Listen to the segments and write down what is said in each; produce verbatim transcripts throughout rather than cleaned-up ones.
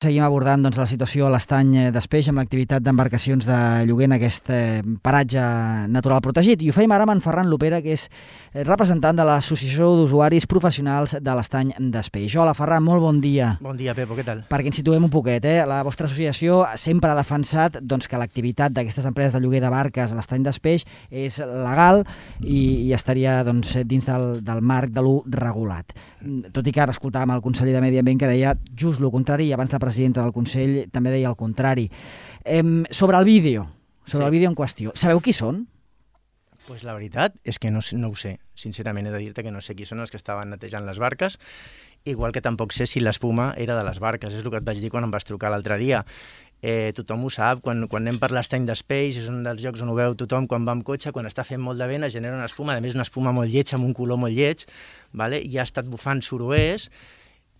Seguim abordant doncs, la situació a l'Estany d'Espeix amb l'activitat d'embarcacions de lloguer en aquest eh, paratge natural protegit. I ho feim ara amb en Ferran Lopera, que és representant de l'Associació d'Usuaris Professionals de l'Estany d'Espeix. Hola, Ferran, molt bon dia. Bon dia, Pepo, què tal? Perquè ens situem un poquet, eh? La vostra associació sempre ha defensat doncs, que l'activitat d'aquestes empreses de lloguer de barques a l'Estany d'Espeix és legal i, i estaria doncs, dins del, del marc de l'u regulat. Tot i que ara escoltàvem el conseller de Medi Ambient que deia just el contrari, i abans la presidenta del Consell també deia el contrari. Eh, sobre el vídeo, sobre sí. el vídeo en qüestió, sabeu qui són? Pues la veritat és que no, no ho sé. Sincerament he de dir-te que no sé qui són els que estaven netejant les barques, igual que tampoc sé si l'espuma era de les barques. És el que et vaig dir quan em vas trucar l'altre dia. Eh, tothom ho sap, quan, quan anem per l'Estany d'Espeix, és un dels llocs on ho veu tothom, quan va amb cotxe, quan està fent molt de vent, es genera una espuma, a més una espuma molt lletja, amb un color molt lleig, vale? I ha estat bufant suroers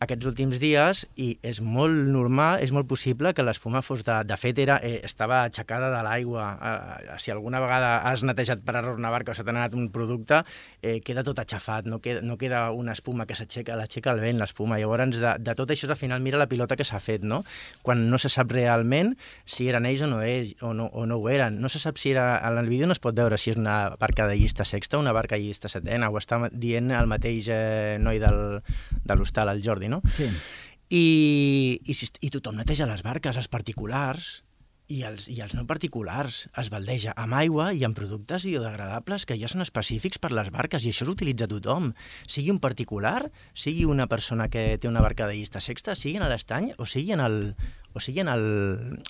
aquests últims dies i és molt normal, és molt possible que l'espuma fos de... De fet, era, eh, estava aixecada de l'aigua. Eh, si alguna vegada has netejat per error una barca o se t'ha anat un producte, eh, queda tot aixafat, no queda, no queda una espuma que s'aixeca, l'aixeca el vent, l'espuma. Llavors, de, de tot això, al final, mira la pilota que s'ha fet, no? Quan no se sap realment si eren ells o no, ells, o no, o no ho eren. No se sap si era... En el vídeo no es pot veure si és una barca de llista sexta o una barca de llista setena. Ho està dient el mateix eh, noi del, de l'hostal, el Jordi, no? Sí. I, i, i tothom neteja les barques, els particulars i els, i els no particulars. Es baldeja amb aigua i amb productes biodegradables que ja són específics per les barques i això s'utilitza tothom. Sigui un particular, sigui una persona que té una barca de llista sexta, sigui en l'estany o sigui en el, o sigui en el,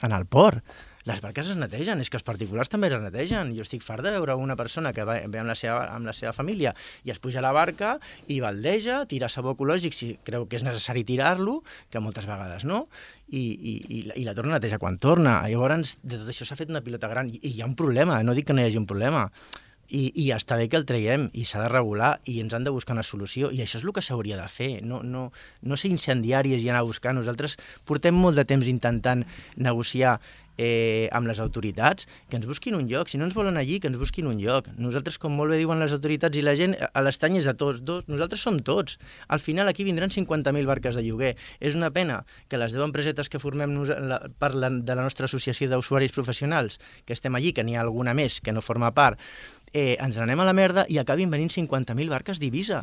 en el port. Les barques es netegen, és que els particulars també es netegen. Jo estic fart de veure una persona que va, ve amb la, seva, amb la seva família i es puja a la barca i baldeja, tira sabó ecològic si creu que és necessari tirar-lo, que moltes vegades no, i, i, i, la, i la torna a netejar quan torna. Llavors, de tot això s'ha fet una pilota gran i, i hi ha un problema, no dic que no hi hagi un problema. I, i està bé que el traiem i s'ha de regular i ens han de buscar una solució i això és el que s'hauria de fer, no, no, no ser incendiaris i anar a buscar. Nosaltres portem molt de temps intentant negociar eh, amb les autoritats que ens busquin un lloc, si no ens volen allí que ens busquin un lloc. Nosaltres, com molt bé diuen les autoritats i la gent, a l'estany és de tots, dos, nosaltres som tots. Al final aquí vindran cinquanta mil barques de lloguer. És una pena que les deu empresetes que formem nos, la, per la, de la nostra associació d'usuaris professionals, que estem allí, que n'hi ha alguna més que no forma part, Eh, ens n'anem a la merda i acabin venint cinquanta mil barques d'Eivissa,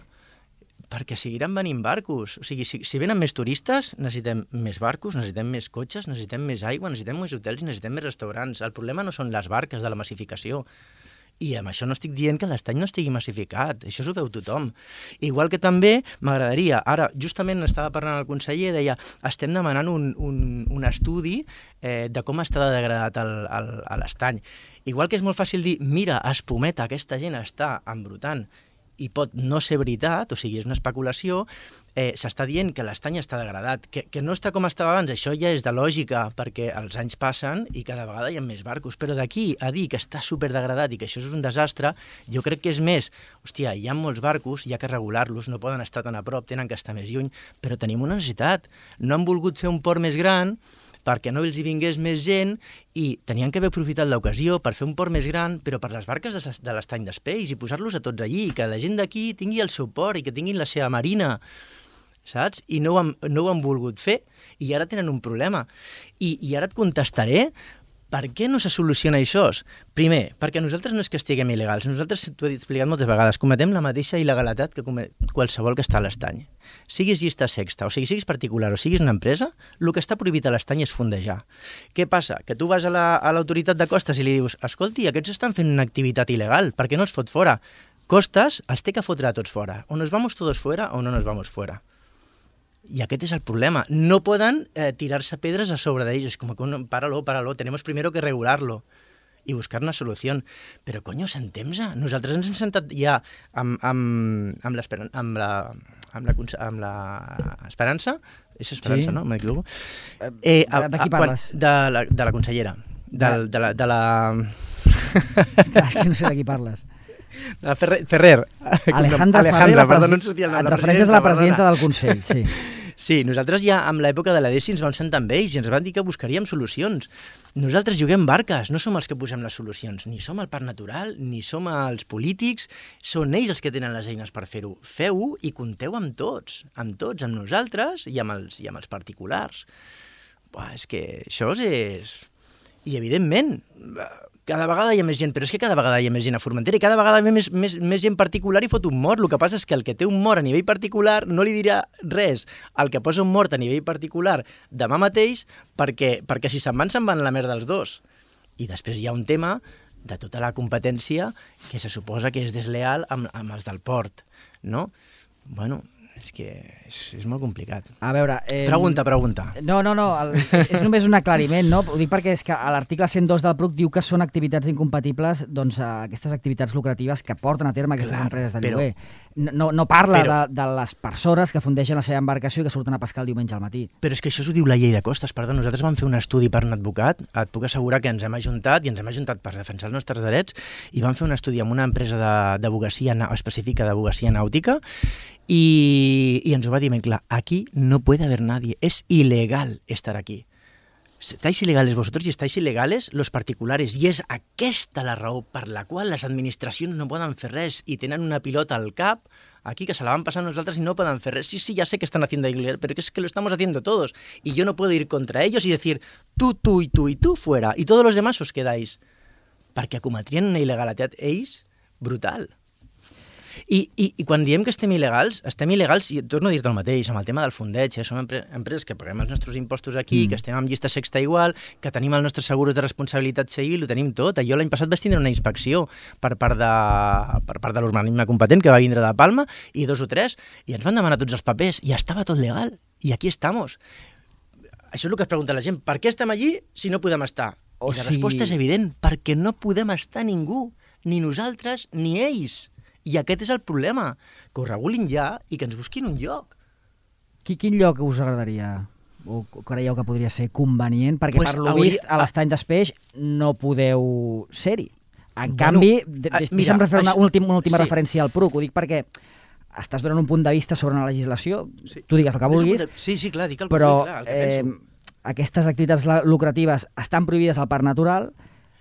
perquè seguiran venint barcos. O sigui, si, si venen més turistes, necessitem més barcos, necessitem més cotxes, necessitem més aigua, necessitem més hotels i necessitem més restaurants. El problema no són les barques de la massificació. I amb això no estic dient que l'estany no estigui massificat, això s'ho veu tothom. Igual que també m'agradaria, ara justament estava parlant el conseller, deia, estem demanant un, un, un estudi eh, de com està degradat el, el, l'estany. Igual que és molt fàcil dir, mira, espumeta, aquesta gent està embrutant, i pot no ser veritat, o sigui, és una especulació, eh, s'està dient que l'estany està degradat, que, que no està com estava abans, això ja és de lògica, perquè els anys passen i cada vegada hi ha més barcos, però d'aquí a dir que està superdegradat i que això és un desastre, jo crec que és més, hòstia, hi ha molts barcos, hi ha que regular-los, no poden estar tan a prop, tenen que estar més lluny, però tenim una necessitat. No han volgut fer un port més gran, perquè no els hi vingués més gent i tenien que haver aprofitat l'ocasió per fer un port més gran, però per les barques de, de l'Estany d'Espeix i posar-los a tots allí, i que la gent d'aquí tingui el seu port i que tinguin la seva marina, saps? I no ho han, no ho han volgut fer, i ara tenen un problema. I, i ara et contestaré per què no se soluciona això? Primer, perquè nosaltres no és que estiguem il·legals, nosaltres, t'ho he explicat moltes vegades, cometem la mateixa il·legalitat que comet qualsevol que està a l'estany. Siguis llista sexta, o sigui, siguis particular o siguis una empresa, el que està prohibit a l'estany és fondejar. Què passa? Que tu vas a l'autoritat la, a de costes i li dius, escolti, aquests estan fent una activitat il·legal, per què no els fot fora? Costes els té que fotre a tots fora. O nos vamos todos fuera o no nos vamos fuera. I aquest és el problema. No poden eh, tirar-se pedres a sobre d'ells. És com que, páralo, páralo, tenemos primero que regularlo i buscar una solució. Però, coño, sentem-se. Nosaltres ens hem sentat ja amb, amb, amb l'esperança, amb la, amb la, amb la esperança, és esperança, sí. No? M'equivoco. Eh, de, de qui parles? De la, de la consellera. Del, de la... De la... Clar, és que no sé de qui parles. De la Ferrer. Ferrer. Alejandra, Alejandra Ferrer, perdó, no em sortia el nom. Et refereixes a la presidenta del Consell, sí. Sí, nosaltres ja amb l'època de l'A D E S I ens vam sentar amb ells i ens van dir que buscaríem solucions. Nosaltres juguem barques, no som els que posem les solucions, ni som el parc natural, ni som els polítics, són ells els que tenen les eines per fer-ho. Feu-ho i compteu amb tots, amb tots, amb nosaltres i amb els, i amb els particulars. Buah, és que això és... I, evidentment, cada vegada hi ha més gent, però és que cada vegada hi ha més gent a Formentera i cada vegada hi ha més, més, més gent particular i fot un mort. El que passa és que el que té un mort a nivell particular no li dirà res al que posa un mort a nivell particular demà mateix, perquè, perquè si se'n van, se'n van a la merda els dos. I després hi ha un tema de tota la competència que se suposa que és desleal amb, amb els del port, no? Bueno, és que és, és molt complicat. A veure... Eh, pregunta, pregunta. No, no, no, el, és només un aclariment, no? Ho dic perquè és que a l'article cent dos del P R U C diu que són activitats incompatibles, doncs, aquestes activitats lucratives que porten a terme aquestes Clar, empreses de però, lloguer. No, no parla però, de, de les persones que fundeixen la seva embarcació i que surten a pescar el diumenge al matí. Però és que això ho diu la llei de costes. Perdó, nosaltres vam fer un estudi per un advocat, et puc assegurar que ens hem ajuntat, i ens hem ajuntat per defensar els nostres drets, i vam fer un estudi amb una empresa d'abogacia específica d'abogacia nàutica, y, y ens ho va dir ben clar, aquí no puede haber nadie, es ilegal estar aquí. Estáis ilegales vosotros y estáis ilegales los particulares, i és aquesta la raó per la qual les administracions no poden fer res i tenen una pilota al cap aquí que se la van passant nosaltres y no pueden hacer res. Sí, sí, ya sé que están haciendo ilegal, pero es que lo estamos haciendo todos y yo no puedo ir contra ellos y decir tú, tú y tú y tú fuera y todos los demás os quedáis, perquè cometrien una il·legalitat ells brutal. I, i, I quan diem que estem il·legals, estem il·legals, i torno a dir-te el mateix, amb el tema del fondeig, eh? Som empre empreses que paguem els nostres impostos aquí, mm. que estem amb llista sexta igual, que tenim els nostres seguros de responsabilitat civil, ho tenim tot. Jo l'any passat vaig tindre una inspecció per part de, per part de l'organisme competent que va vindre de Palma, i dos o tres, i ens van demanar tots els papers, i estava tot legal, i aquí estamos. Això és el que es pregunta la gent, per què estem allí si no podem estar? O I la si... resposta és evident, perquè no podem estar ningú, ni nosaltres ni ells. I aquest és el problema, que ho regulin ja i que ens busquin un lloc. Quin lloc us agradaria o creieu que podria ser convenient? Perquè pues per lo hauria... vist a l'Estany d'Espeix no podeu ser-hi. En bueno, canvi, deixa'm fer una, una última, una última sí. referència al P R U C, ho dic perquè estàs donant un punt de vista sobre una legislació, sí. tu digues el que vulguis, de... sí, sí, clar, dic el, però clar, el que eh, penso. Aquestes activitats lucratives estan prohibides al Parc Natural,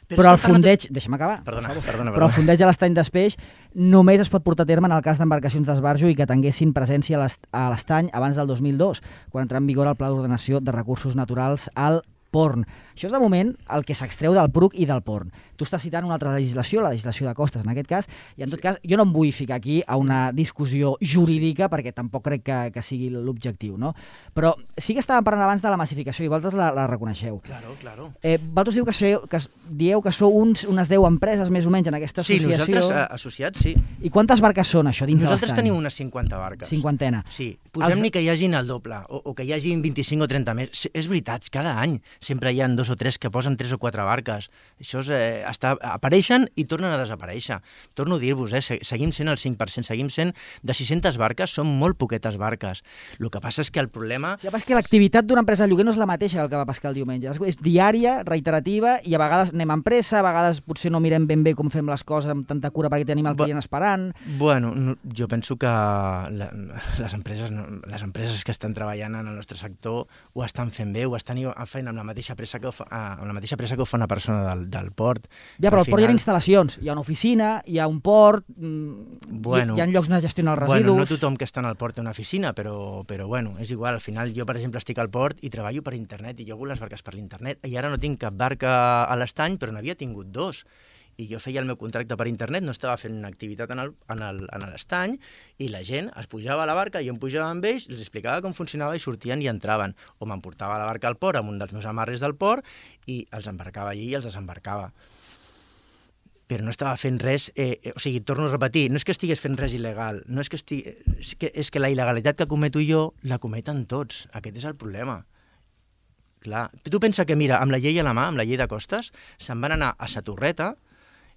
Però, però el fondeig... Nat... Deixa'm acabar. Perdona, perdona, perdona. Però el fondeig a l'Estany d'Espeix només es pot portar a terme en el cas d'embarcacions d'esbarjo i que tinguessin presència a l'estany abans del dos mil dos, quan entrà en vigor el Pla d'Ordenació de Recursos Naturals al Porn. Això és de moment el que s'extreu del P R U C i del Porn. Tu estàs citant una altra legislació, la legislació de costes en aquest cas, i en tot cas jo no em vull ficar aquí a una discussió jurídica perquè tampoc crec que, que sigui l'objectiu, no? Però sí que estàvem parlant abans de la massificació i vosaltres la, la reconeixeu. Claro, claro. Eh, vosaltres dieu que, sou, que dieu que sou uns, unes deu empreses més o menys en aquesta associació. Sí, nosaltres associats, sí. I quantes barques són això dins de l'estany? Nosaltres tenim unes cinquanta barques. Cinquantena. Sí, posem Els... ni que hi hagin el doble o, o que hi hagin vint-i-cinc o trenta més. És veritat, cada any sempre hi ha dos o tres que posen tres o quatre barques. Això és, eh, està, apareixen i tornen a desaparèixer. Torno a dir-vos, eh, seguim sent el cinc per cent, seguim sent de sis-centes barques, són molt poquetes barques. El que passa és que el problema... Sí, és que l'activitat d'una empresa de lloguer no és la mateixa que el que va pescar el diumenge. És diària, reiterativa, i a vegades anem amb pressa, a vegades potser no mirem ben bé com fem les coses amb tanta cura perquè tenim el client esperant. Bueno, no, jo penso que la, les, empreses, no, les empreses que estan treballant en el nostre sector ho estan fent bé, ho estan fent amb la mateixa pressa que ho fa, amb la mateixa pressa que ho fa una persona del, del port. Ja, però al, al port final... hi ha instal·lacions, hi ha una oficina, hi ha un port, bueno, hi, hi ha llocs on gestionar els residus... Bueno, no tothom que està en el port té una oficina, però, però bueno, és igual. Al final jo, per exemple, estic al port i treballo per internet i llogo les barques per l'internet i ara no tinc cap barca a l'estany, però n'havia tingut dos. I jo feia el meu contracte per internet, no estava fent una activitat en l'estany i la gent es pujava a la barca, jo em pujava amb ells, els explicava com funcionava i sortien i entraven. O m'emportava la barca al port amb un dels meus amarres del port i els embarcava allí i els desembarcava. Però no estava fent res, eh, o sigui, torno a repetir, no és que estigués fent res il·legal, no és que estigui, és que, és que la il·legalitat que cometo jo la cometen tots, aquest és el problema. Clar, tu pensa que, mira, amb la llei a la mà, amb la llei de costes, se'n van anar a Sa Torreta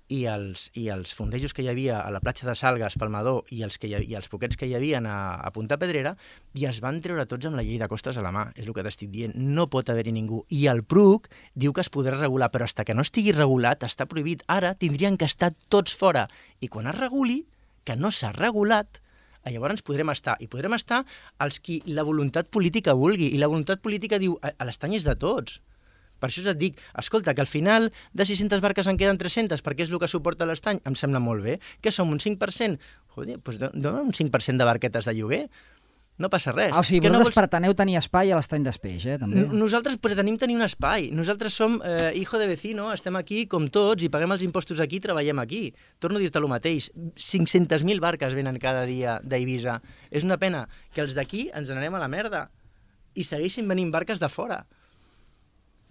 i els, i els fondejos que hi havia a la platja de Salgues, Palmador, i els, que hi, i els poquets que hi havia a, a Punta Pedrera, i es van treure tots amb la llei de costes a la mà, és el que t'estic dient. No pot haver-hi ningú. I el P R U C diu que es podrà regular, però fins que no estigui regulat, està prohibit. Ara tindrien que estar tots fora. I quan es reguli, que no s'ha regulat, llavors podrem estar, i podrem estar els qui la voluntat política vulgui, i la voluntat política diu, a l'estany és de tots. Per això et dic, escolta, que al final de sis-centes barques en queden tres-centes, perquè és el que suporta l'estany, em sembla molt bé. Què som, un cinc per cent? Joder, doncs dona un cinc per cent de barquetes de lloguer. No passa res. Ah, o sigui, que vosaltres no vols... preteneu tenir espai a l'estany d'Espeix, eh, també? Nosaltres pretenim tenir un espai. Nosaltres som eh, hijo de vecino, estem aquí com tots i paguem els impostos aquí i treballem aquí. Torno a dir-te el mateix. cinc-centes mil barques venen cada dia d'Eivissa. És una pena que els d'aquí ens n'anem a la merda i segueixin venint barques de fora.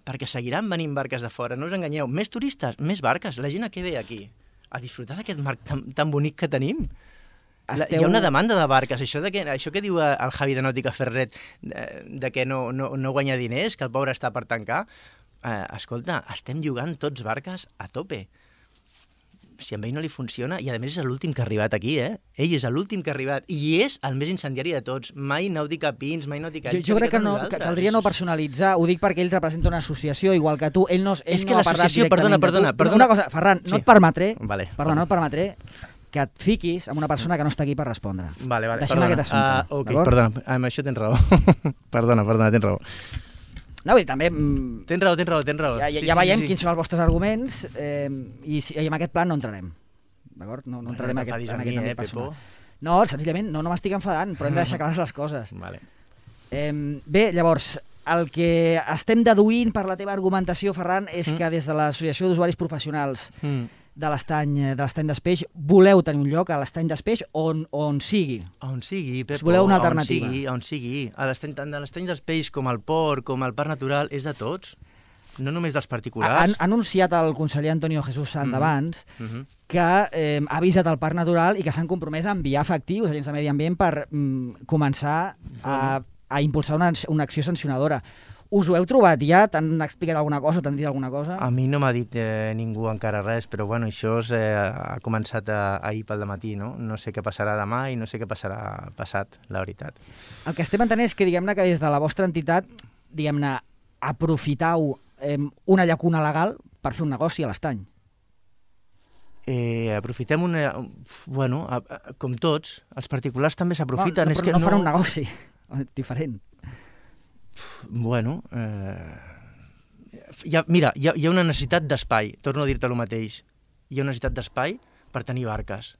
Perquè seguiran venint barques de fora. No us enganyeu. Més turistes, més barques. La gent a què ve aquí? A disfrutar d'aquest mar tan, tan bonic que tenim. La, Esteu... Hi ha una demanda de barques. Això, de que, això que diu el Javi de Nàutica Ferret, de, de que no, no, no guanya diners, que el pobre està per tancar, eh, escolta, estem jugant tots barques a tope. Si amb ell no li funciona, i a més és l'últim que ha arribat aquí, eh? Ell és l'últim que ha arribat, i és el més incendiari de tots. Mai Nàutica Pins, mai Nàutica... Jo, jo crec que, no, que caldria no personalitzar, ho dic perquè ell representa una associació, igual que tu, ell no, ell és que no ha parlat directament perdona, perdona, de tu. perdona. Una cosa, Ferran, sí. no et permetré, vale. perdona, no et permetré que et fiquis amb una persona que no està aquí per respondre. Vale, vale, Deixem perdona. aquest assumpte, uh, okay, perdona, amb això tens raó. perdona, perdona, tens raó. No, vull dir, també... Tens raó, tens raó, tens raó. Ja, ja, sí, ja sí, veiem sí, sí. quins són els vostres arguments eh, i, i en aquest plan no entrarem. D'acord? No, no entrarem bueno, en aquest, en mi, aquest eh, àmbit personal. Pepo. No, senzillament, no, no m'estic enfadant, però hem de deixar clares les coses. Vale. Eh, bé, llavors, el que estem deduint per la teva argumentació, Ferran, és Mm. que des de l'Associació d'Usuaris Professionals Mm. de l'estany de l'estany d'Espeix voleu tenir un lloc a l'estany d'Espeix on, on sigui. On sigui, Pepo, Us voleu una alternativa. on sigui, on sigui. A l'estany, tant de l'estany dels peix com el port, com el parc natural, és de tots, no només dels particulars. Ha, ha anunciat el conseller Antonio Jesús Sant abans Mm -hmm. que eh, ha avisat el Parc Natural i que s'han compromès a enviar efectius, agents de medi ambient, per mm, començar a, a impulsar una, una acció sancionadora. Us ho heu trobat ja? T'han explicat alguna cosa? T'han dit alguna cosa? A mi no m'ha dit eh, ningú encara res, però bueno, això és, eh, ha començat a, ahir pel dematí, no? No sé què passarà demà i no sé què passarà passat, la veritat. El que estem entenent és que, diguem-ne, que des de la vostra entitat, diguem-ne, aprofitau eh, una llacuna legal per fer un negoci a l'estany. Eh, aprofitem una... Bueno, a, a, com tots, els particulars també s'aprofiten. No, no, és però que no no farà un negoci diferent. Bueno, eh... ja, mira, hi ha, hi ha una necessitat d'espai, torno a dir-te el mateix. Hi ha una necessitat d'espai per tenir barques,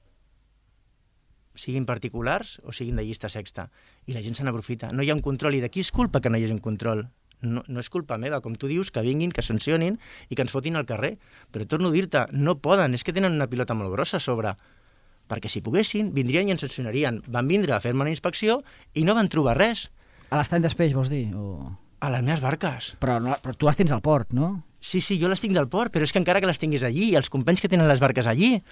siguin particulars o siguin de llista sexta, i la gent se n'aprofita. No hi ha un control, i de qui és culpa que no hi hagi un control? No, no és culpa meva, com tu dius, que vinguin, que sancionin i que ens fotin al carrer. Però torno a dir-te, no poden, és que tenen una pilota molt grossa a sobre. Perquè si poguessin, vindrien i ens sancionarien. Van vindre a fer-me una inspecció i no van trobar res. A l'estany d'Espeix, vols dir? O... A les meves barques. Però, no, però tu les tens al port, no? Sí, sí, jo les tinc del port, però és que encara que les tinguis allí, i els companys que tenen les barques allí,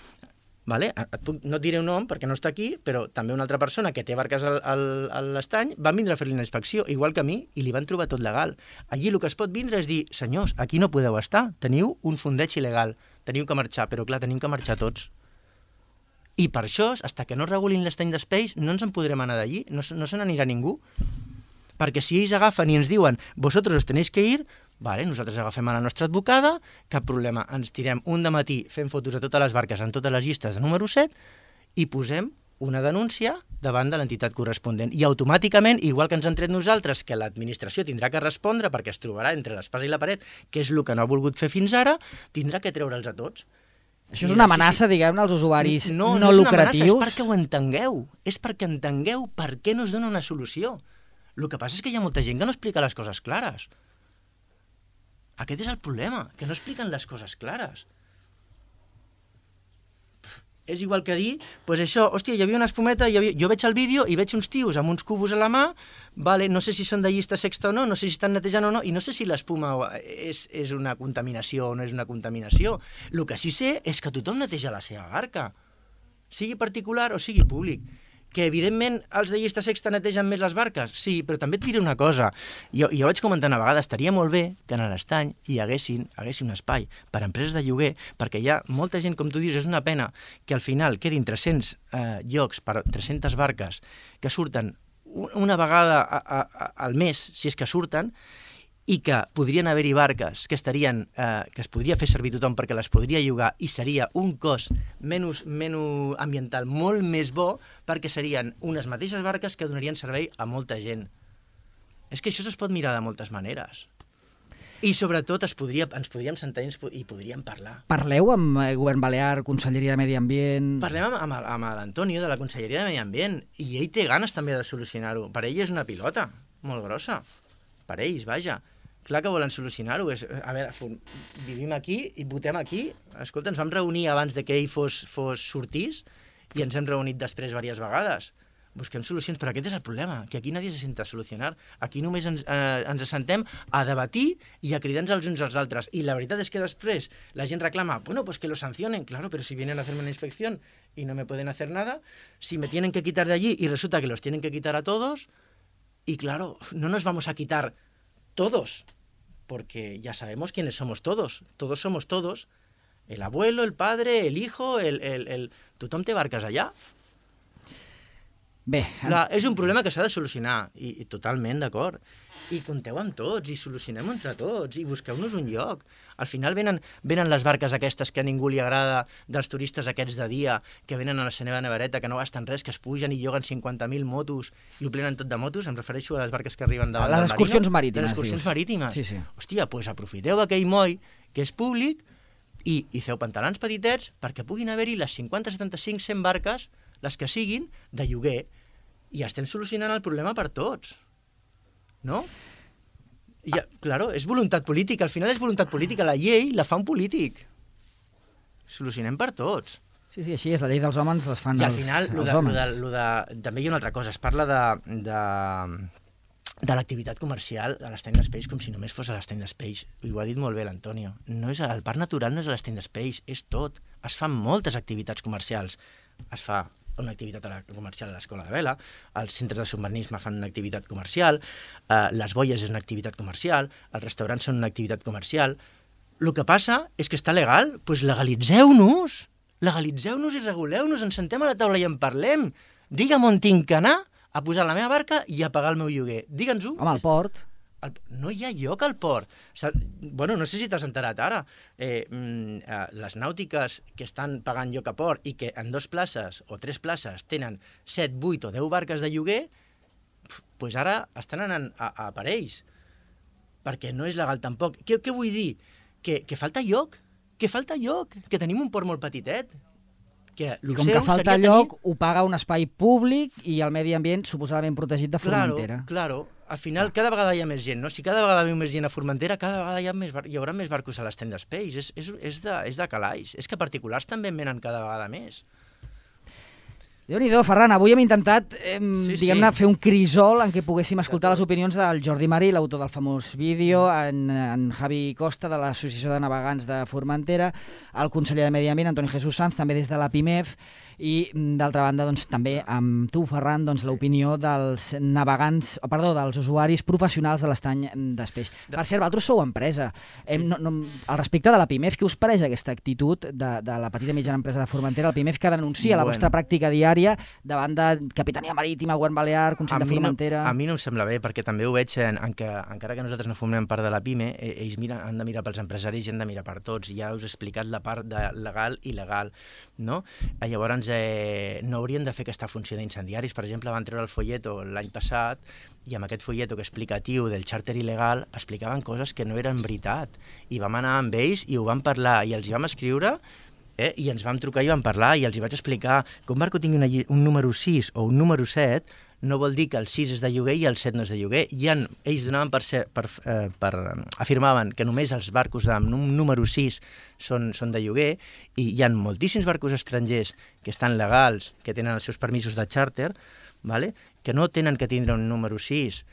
vale? Et puc, no et diré un nom perquè no està aquí, però també una altra persona que té barques al, al, a l'estany van vindre a fer-li una inspecció, igual que a mi, i li van trobar tot legal. Allí el que es pot vindre és dir, senyors, aquí no podeu estar, teniu un fondeig il·legal, teniu que marxar, però clar, tenim que marxar tots. I per això, fins que no regulin l'estany d'Espeix, no ens en podrem anar d'allí, no, no se n'anirà ningú. Perquè si ells agafen i ens diuen vosaltres os tenéis que ir, vale, nosaltres agafem a la nostra advocada, cap problema, ens tirem un dematí fent fotos a totes les barques en totes les llistes de número set i posem una denúncia davant de l'entitat corresponent. I automàticament, igual que ens han tret nosaltres, que l'administració tindrà que respondre perquè es trobarà entre l'espasa i la paret, que és el que no ha volgut fer fins ara, tindrà que treure'ls a tots. Això és una amenaça, sí, sí. diguem-ne, als usuaris no, no, no lucratius? No, no és una amenaça, és perquè ho entengueu. És perquè entengueu per què no es dona una solució. El que passa és que hi ha molta gent que no explica les coses clares. Aquest és el problema, que no expliquen les coses clares. Pff, és igual que dir, pues això, hòstia, hi havia una espumeta, hi havia... jo veig el vídeo i veig uns tios amb uns cubos a la mà, vale, no sé si són de llista sexta o no, no sé si estan netejant o no, i no sé si l'espuma és, és una contaminació o no és una contaminació. El que sí sé és que tothom neteja la seva barca, sigui particular o sigui públic. Que, evidentment, els de llista sexta netegen més les barques? Sí, però també et diré una cosa. Jo, jo vaig comentar una vegada, estaria molt bé que en l'estany hi haguessin, haguessin un espai per a empreses de lloguer, perquè hi ha molta gent, com tu dius, és una pena que al final quedin tres-cents eh, llocs per tres-centes barques que surten una vegada a, a, a, al mes, si és que surten, i que podrien haver-hi barques que estarien, eh, que es podria fer servir tothom perquè les podria llogar i seria un cost menys, menys ambiental molt més bo perquè serien unes mateixes barques que donarien servei a molta gent. És que això es pot mirar de moltes maneres. I sobretot es podria, ens podríem sentar i, ens, i podríem parlar. Parleu amb el govern balear, Conselleria de Medi Ambient... Parlem amb, amb, amb l'Antonio de la Conselleria de Medi Ambient i ell té ganes també de solucionar-ho. Per ell és una pilota molt grossa. Per ells, vaja. Clar que volen solucionar-ho. A veure, vivim aquí i votem aquí. Escolta, ens vam reunir abans de que ell fos, fos sortís i ens hem reunit després diverses vegades. Busquem solucions, però aquest és el problema, que aquí nadie se senta a solucionar. Aquí només ens, eh, ens assentem a debatir i a cridar-nos els uns als altres. I la veritat és que després la gent reclama, bueno, pues que lo sancionen, claro, pero si vienen a hacerme una inspección y no me pueden hacer nada, si me tienen que quitar de allí y resulta que los tienen que quitar a todos, y claro, no nos vamos a quitar todos, porque ya sabemos quiénes somos todos. Todos somos todos. El abuelo, el padre, el hijo, el... el, el... Tothom té barques allà. Bé, Clar, és un problema que s'ha de solucionar, i, i totalment d'acord. I compteu amb tots, i solucionem entre tots, i busqueu-nos un lloc. Al final venen, venen les barques aquestes que a ningú li agrada, dels turistes aquests de dia, que venen a la seva nevereta, que no gasten res, que es pugen i lloguen cinquanta mil motos, i ho plenen tot de motos, em refereixo a les barques que arriben davant les del excursions marino. marítimes, Les excursions dius. marítimes. Sí, sí. Hòstia, doncs pues aprofiteu aquell moll, que és públic, i, i feu pantalons petitets perquè puguin haver-hi les cinquanta, setanta-cinc, cent barques, les que siguin, de lloguer, i estem solucionant el problema per tots. No? I, ah. Claro, és voluntat política. Al final és voluntat política. La llei la fa un polític. Solucionem per tots. Sí, sí, així és. La llei dels homes les fan I al els, final, lo els de, homes. lo de, lo de, també hi ha una altra cosa. Es parla de, de, de l'activitat comercial a l'Stand Space com si només fos a l'Stand Space. I ho ha dit molt bé l'Antonio. No és, el parc natural no és a l'Stand Space, és tot. Es fan moltes activitats comercials. Es fa una activitat comercial a l'escola de vela, els centres de submarinisme fan una activitat comercial, eh, les boies és una activitat comercial, els restaurants són una activitat comercial. El que passa és que està legal, doncs legalitzeu-nos, legalitzeu-nos i reguleu-nos, ens sentem a la taula i en parlem. Digue'm on tinc que anar a posar la meva barca i a pagar el meu lloguer. Digue'ns-ho. Home, al port... El, no hi ha lloc al port. Bueno, no sé si t'has enterat ara. Eh, eh, les nàutiques que estan pagant lloc a port i que en dos places o tres places tenen set, vuit o deu barques de lloguer, pues ara estan anant a, a per ells. Perquè no és legal tampoc. Què, què vull dir? Que, que falta lloc. Que falta lloc. Que tenim un port molt petitet. Que I com que falta lloc, tenir... ho paga un espai públic i el medi ambient suposadament protegit de Formentera. Claro, claro. Al final, cada vegada hi ha més gent, no? Si cada vegada hi ha més gent a Formentera, cada vegada hi, ha més bar... hi haurà més barcos a l'Stand Space. És, és, és, de, és de calaix. És que particulars també en venen cada vegada més. Déu-n'hi-do, Ferran, avui hem intentat eh, sí, diguem-ne, sí. fer un crisol en què poguéssim escoltar les opinions del Jordi Marí, l'autor del famós vídeo, en, en Javi Costa, de l'Associació de Navegants de Formentera, el conseller de Medi Ambient, Antoni Jesús Sanz, també des de la PIMEF, i d'altra banda, doncs, també amb tu, Ferran, doncs, l'opinió dels navegants, perdó, dels usuaris professionals de l'estany d'Espeix. Per cert, vosaltres sou empresa. Sí. Hem, no, no, al respecte de la PIMEF, què us pareix aquesta actitud de, de la petita i mitjana empresa de Formentera, el PIMEF, que denuncia bueno. la vostra pràctica diària davant de Capitania Marítima, Govern Balear, Consell de Formentera... No, a mi no em sembla bé, perquè també ho veig en, en que, encara que nosaltres no formem part de la PIME, ells mira, han de mirar pels empresaris i han de mirar per tots. Ja us he explicat la part de legal i legal, no? Llavors, eh, no haurien de fer aquesta funció d'incendiaris. Per exemple, van treure el folleto l'any passat i amb aquest folleto que explicatiu del xàrter il·legal explicaven coses que no eren veritat. I vam anar amb ells i ho vam parlar i els hi vam escriure. Eh? I ens vam trucar i vam parlar i els hi vaig explicar que un barco tingui una, un número sis o un número set no vol dir que el sis és de lloguer i el set no és de lloguer. I han, ells donaven per, ser, per, eh, per afirmaven que només els barcos de número sis són, són de lloguer i hi ha moltíssims barcos estrangers que estan legals, que tenen els seus permisos de xàrter, vale? Que no tenen que tindre un número sis.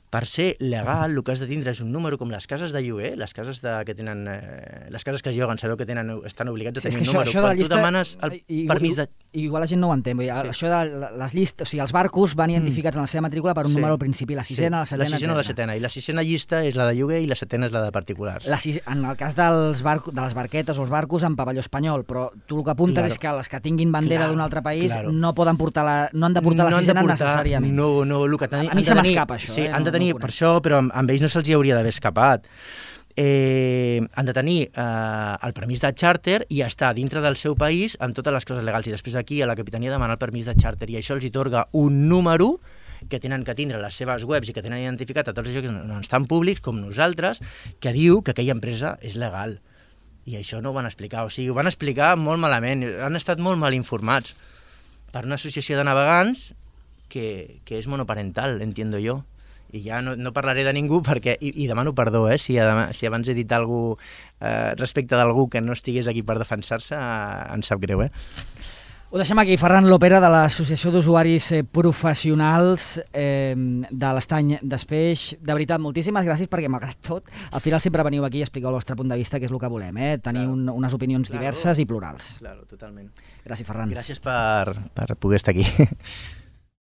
Per ser legal, el que has de tindre és un número com les cases de lloguer, les cases de, que tenen, eh, les cases que es lloguen, sabeu que tenen, estan obligats a tenir sí, un número. Això, això Quan llista, tu demanes el i, permís de... I, igual la gent no ho entén. Sí. Això de les llistes, o sigui, els barcos van identificats mm. en la seva matrícula per un sí. número al principi, la sisena, sí. la setena, la sisena o la setena. I la sisena llista és la de lloguer i la setena és la de particulars. La sis... En el cas dels barcos, de les barquetes o els barcos en pavelló espanyol, però tu el que apuntes claro. és que les que tinguin bandera claro. d'un altre país claro. no poden portar la, no han de portar no la sisena portar, necessàriament. No, no, el que ten... A mi se m'escapa això. Sí, eh? han de tenir, no, no per això, però amb, amb ells no se'ls hauria d'haver escapat. Eh, han de tenir eh, el permís de xàrter i estar dintre del seu país amb totes les coses legals. I després aquí a la Capitania demanar el permís de xàrter i això els atorga un número que tenen que tindre les seves webs i que tenen identificat a tots els llocs on estan públics, com nosaltres, que diu que aquella empresa és legal. I això no ho van explicar, o sigui, ho van explicar molt malament, han estat molt mal informats per una associació de navegants que, que és monoparental, entiendo jo. I ja no, no parlaré de ningú perquè, i, i demano perdó, eh, si, si abans he dit alguna cosa eh, respecte d'algú que no estigués aquí per defensar-se, eh, em sap greu, eh? Ho deixem aquí. Ferran Lopera, de l'Associació d'Usuaris Professionals eh, de l'Estany d'Espeix. De veritat, moltíssimes gràcies perquè, malgrat tot, al final sempre veniu aquí i expliqueu el vostre punt de vista, que és el que volem, eh? Tenir claro. un, unes opinions claro. diverses i plurals. Claro, totalment. Gràcies, Ferran. Gràcies per, per poder estar aquí.